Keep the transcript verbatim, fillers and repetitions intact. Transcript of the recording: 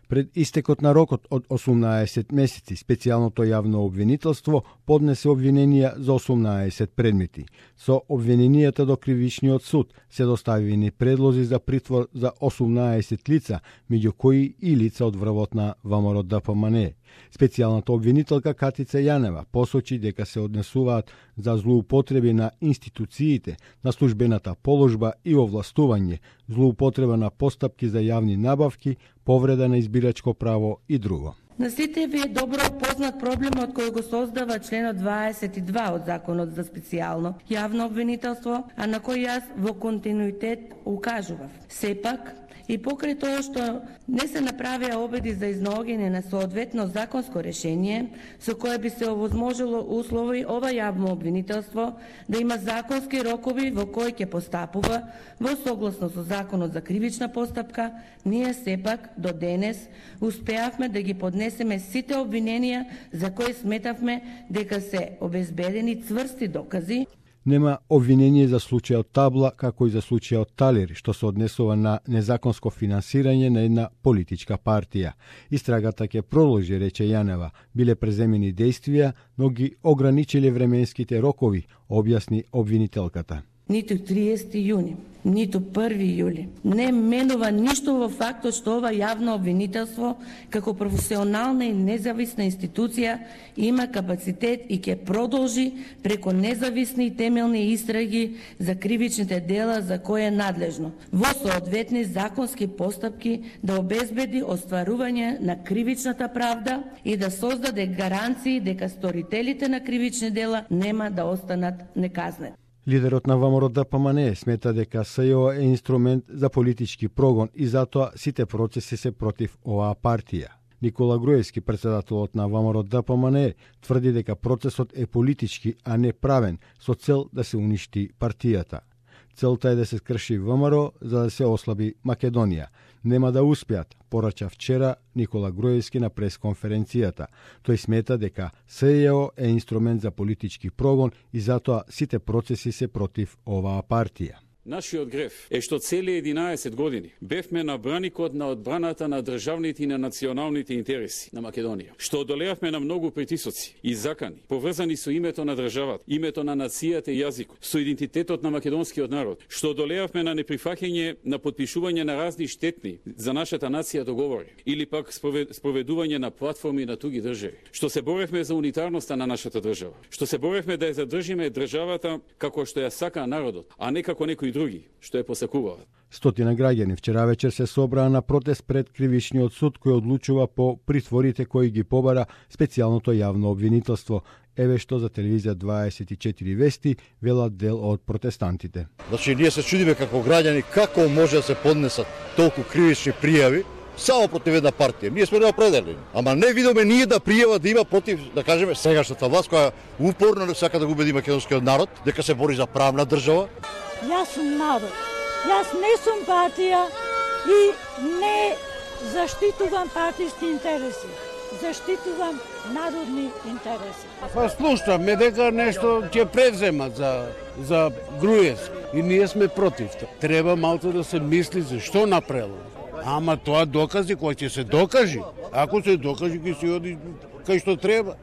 Пред истекот на рокот од осумнаесет месеци, специјалното јавно обвинителство поднесе обвиненија за осумнаесет предмети. Со обвиненијата до Кривичниот суд се доставени предлози за притвор за осумнаесет лица, меѓу кои и лица од врвот на ВМРО Д П М Н. Специјалната обвинителка Катица Јанева посочи дека се однесуваат за злоупотреби на институциите, на службената положба и овластување, злоупотреба на постапки за јавни набавки, повреда на избирачко право и друго. На сите ви е добро познат проблемот кој го создава членот дваесет и два од Законот за специјално јавно обвинителство, а на кој јас во континуитет укажував. Сепак, и покрај тоа што не се направија обиди за изнаоѓање на соодветно законско решение, со кое би се овозможило услови ова јавно обвинителство да има законски рокови во кои ќе постапува во согласно со Законот за кривична постапка, ние сепак до денес успеавме да ги поднесеме сите обвиненија за кои сметавме дека се обезбедени цврсти докази. Нема обвинение за случајот Табла, како и за случајот Талер, што се однесува на незаконско финансирање на една политичка партија. Истрагата ќе продолжи, рече Јанева. Биле преземени действија, но ги ограничиле временските рокови, објасни обвинителката. Ниту триесети јуни, ниту први јули не менува ништо во фактот што ова јавно обвинителство како професионална и независна институција има капацитет и ќе продолжи преко независни и темелни истраги за кривичните дела за кои е надлежно, во соодветни законски постапки да обезбеди остварување на кривичната правда и да создаде гаранции дека сторителите на кривични дела нема да останат неказнени. Лидерот на ВМРО Д П М Н смета дека С Ј О е инструмент за политички прогон и затоа сите процеси се против оваа партија. Никола Груевски, председателот на ВМРО Д П М Н, тврди дека процесот е политички, а не правен, со цел да се уништи партијата. Целта е да се скрши ВМРО за да се ослаби Македонија. Нема да успеат, порача вчера Никола Груевски на пресконференцијата. Тој смета дека С Ј О е инструмент за политички прогон и затоа сите процеси се против оваа партија. Нашиот греф е што цели единаесет години бевме на браникот на одбраната на државните и на националните интереси на Македонија. Што одолеавме на многу притисоци и закани, поврзани со името на државата, името на нацијата и јазикот, со идентитетот на македонскиот народ. Што одолеавме на неприфаќање на подпишување на разни штетни за нашата нација договори или пак спроведување на платформи на туги држави. Што се боревме за унитарноста на нашата држава. Што се боревме да ја задржиме државата како што ја сака народот, а не како некој други, што е посакуваат. Стотина граѓани вчера вечер се собраа на протест пред Кривичниот суд кој одлучува по притворите кои ги побара специјалното јавно обвинителство. Еве што за телевизија дваесет и четири вести велат дел од протестантите. Значи ние се чудиме како граѓани како може да се поднесат толку кривични пријави само против една партија. Ние сме неопределени. Ама не видиме ние да пријава да има против, да кажеме, сегашната власт која упорно сака да го убеди македонскиот народ дека се бори за правна држава. Јас сум народ. Јас не сум партија и не заштитувам партиски интереси. Заштитувам народни интереси. Па слушаме дека нешто ќе превземат за за Груевски и ние сме против. Треба малку да се мисли за што направило. Ама тоа докази кој ќе се докажи. Ако се докажи ќе се оди кај што треба.